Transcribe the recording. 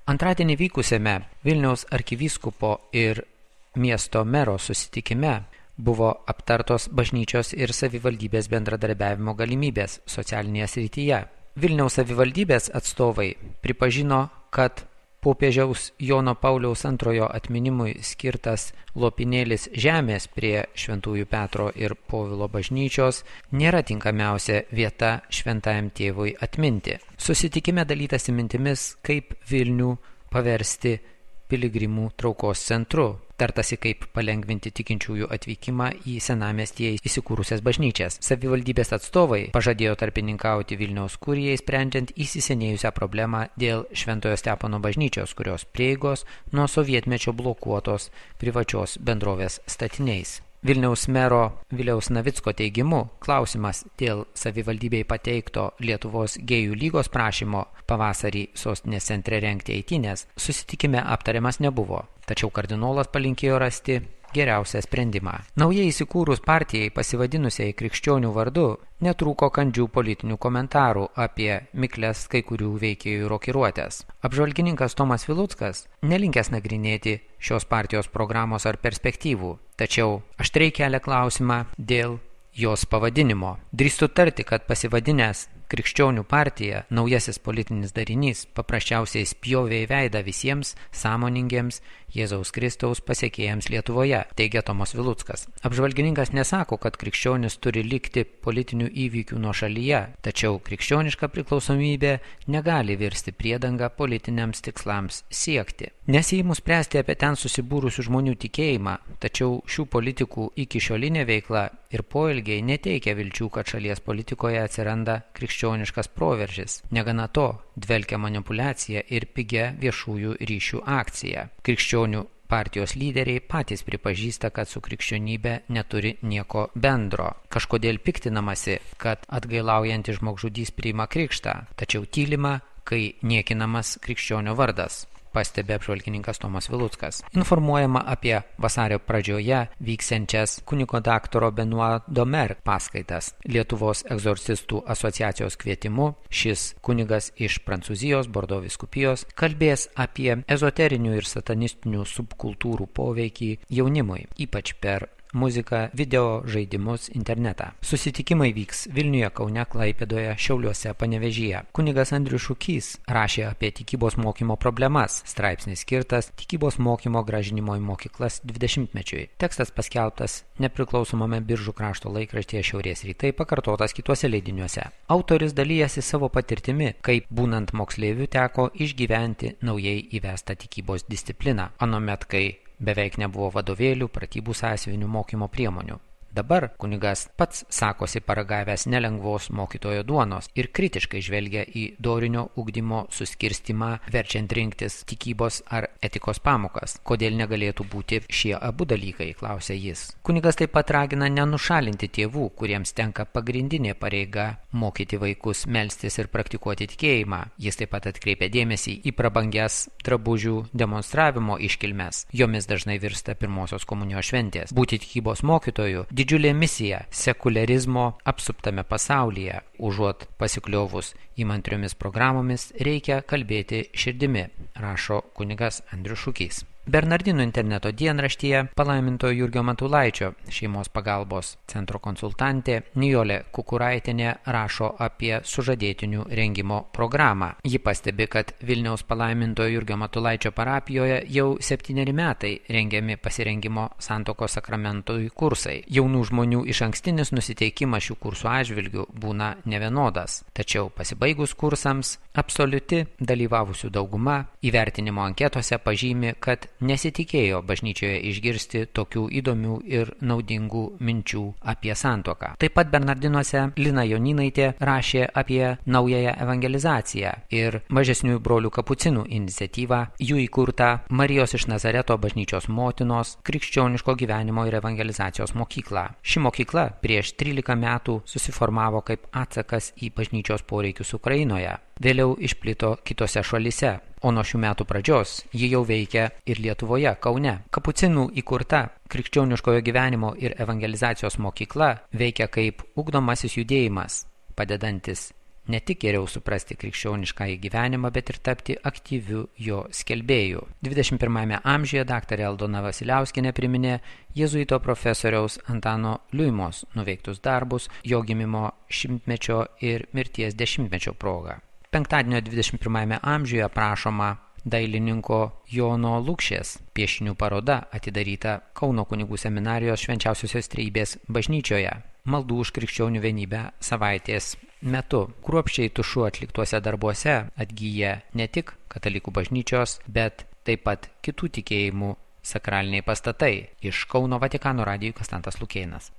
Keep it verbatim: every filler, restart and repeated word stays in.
Antradienį vykusiame Vilniaus arkivyskupo ir miesto mero susitikime buvo aptartos bažnyčios ir savivaldybės bendradarbiavimo galimybės socialinėje srityje. Vilniaus savivaldybės atstovai pripažino, kad popiežiaus Jono Pauliaus antrojo atminimui skirtas lopinėlis žemės prie Šventųjų Petro ir Povilo bažnyčios nėra tinkamiausia vieta šventajam tėvui atminti. Susitikime dalytasi mintimis, kaip Vilnių paversti piligrimų traukos centru. Tartasi, kaip palengvinti tikinčiųjų atvykimą į senamiestyje įsikūrusias bažnyčias. Savivaldybės atstovai pažadėjo tarpininkauti Vilniaus kurijai, sprendžiant įsisenėjusią problemą dėl Šventojo Stepono bažnyčios, kurios prieigos nuo sovietmečio blokuotos privačios bendrovės statiniais. Vilniaus mero Viliaus Navicko teigimu, klausimas dėl savivaldybei pateikto Lietuvos gėjų lygos prašymo pavasarį sostinės centre rengti eitynės susitikime aptariamas nebuvo, tačiau kardinolas palinkėjo rasti geriausią sprendimą. Naujai įsikūrus partijai pasivadinusiai krikščionių vardu netrūko kandžių politinių komentarų apie mikles kai kurių veikėjų rokiruotės. Apžvalgininkas Tomas Viluckas nelinkęs nagrinėti šios partijos programos ar perspektyvų, tačiau aštriai kelia klausimą dėl jos pavadinimo. Drįstu tarti, kad pasivadinęs Krikščionių partija, naujasis politinis darinys, paprasčiausiai spjovė į veidą visiems sąmoningiems Jėzaus Kristaus pasekėjams Lietuvoje, teigia Tomas Viluckas. Apžvalgininkas nesako, kad krikščionis turi likti politinių įvykių nuošalyje, tačiau krikščioniška priklausomybė negali virsti priedanga politiniams tikslams siekti. Nesiimu spręsti apie ten susibūrusių žmonių tikėjimą, tačiau šių politikų iki šiolinė veikla ir poelgiai neteikia vilčių, kad šalies politikoje atsiranda krikščioniškas proveržis. Negana to, dvelkia manipuliacija ir pigia viešųjų ryšių akcija. Krikščionių partijos lyderiai patys pripažįsta, kad su krikščionybė neturi nieko bendro. Kažkodėl piktinamasi, kad atgailaujantis žmogžudys priima krikštą, tačiau tylima, kai niekinamas krikščionio vardas, pastebi apžvalgininkas Tomas Viluckas. Informuojama apie vasario pradžioje vyksiančias kunigo daktaro Benoit Domer paskaitas Lietuvos egzorcistų asociacijos kvietimu. Šis kunigas iš Prancūzijos Bordo vyskupijos kalbės apie ezoterinių ir satanistinių subkultūrų poveikį jaunimui, ypač per muziką, video žaidimus, internetą. Susitikimai vyks Vilniuje, Kaune, Klaipėdoje, Šiauliuose, Panevėžyje. Kunigas Andrius Šukys rašė apie tikybos mokymo problemas. Straipsnis skirtas tikybos mokymo grąžinimo į mokyklas dvidešimtmečiui. Tekstas paskelbtas nepriklausomame Biržų krašto laikraštyje Šiaurės rytai, pakartotas kituose leidiniuose. Autoris dalyjasi savo patirtimi, kaip būnant moksleiviu teko išgyventi naujai įvestą tikybos discipliną, anuomet kai beveik nebuvo vadovėlių, pratybų sąsiuvinių, mokymo priemonių. Dabar kunigas pats sakosi paragavęs nelengvos mokytojo duonos ir kritiškai žvelgia į dorinio ugdymo suskirstimą, verčiant rinktis tikybos ar etikos pamokas. Kodėl negalėtų būti šie abu dalykai, klausia jis. Kunigas taip pat ragina nenušalinti tėvų, kuriems tenka pagrindinė pareiga mokyti vaikus melstis ir praktikuoti tikėjimą. Jis taip pat atkreipia dėmesį į prabangias drabužių demonstravimo iškilmes. Jomis dažnai virsta pirmosios komunijos šventės. Būti tikybos mokytoju didžiulė misija sekuliarizmo apsuptame pasaulyje. Užuot pasikliovus įmantriomis programomis, reikia kalbėti širdimi, rašo kunigas Andrius Šukys. Bernardinų interneto dienraštyje palaimintojo Jurgio Matulaičio šeimos pagalbos centro konsultantė Nijolė Kukuraitienė rašo apie sužadėtinių rengimo programą. Ji pastebi, kad Vilniaus palaimintojo Jurgio Matulaičio parapijoje jau septyneri metai rengiami pasirengimo santuokos sakramentui kursai. Jaunų žmonių išankstinis nusiteikimas šių kursų atžvilgių būna nevienodas. Tačiau pasibaigus kursams, absoliuti dalyvavusių dauguma įvertinimo anketose pažymi, kad nesitikėjo bažnyčioje išgirsti tokių įdomių ir naudingų minčių apie santuoką. Taip pat Bernardinuose Lina Joninaitė rašė apie naująją evangelizaciją ir mažesniųjų brolių kapucinų iniciatyvą, jų įkurtą Marijos iš Nazareto bažnyčios motinos krikščioniško gyvenimo ir evangelizacijos mokyklą. Ši mokykla prieš trylika metų susiformavo kaip atsakas į bažnyčios poreikius Ukrainoje. Vėliau išplito kitose šalyse, o nuo šių metų pradžios ji jau veikia ir Lietuvoje, Kaune. Kapucinų įkurta krikščioniškojo gyvenimo ir evangelizacijos mokykla veikia kaip ugdomasis judėjimas, padedantis ne tik geriau suprasti krikščioniškąjį gyvenimą, bet ir tapti aktyviu jo skelbėju. dvidešimt pirmajame amžiuje daktarė Aldona Vasiliauskienė priminė jėzuito profesoriaus Antano Liuimos nuveiktus darbus jo gimimo šimtmečio ir mirties dešimtmečio proga. Penktadienio dvidešimt pirmajame amžiuje aprašoma dailininko Jono Lukšės piešinių paroda atidaryta Kauno kunigų seminarijos Švenčiausiosios Trejybės bažnyčioje. Maldų už krikščionių vienybę savaitės metu. Kruopščiai tušu atliktuose darbuose atgyja ne tik katalikų bažnyčios, bet taip pat kitų tikėjimų sakraliniai pastatai. Iš Kauno Vatikano radijui Konstantas Lukėnas.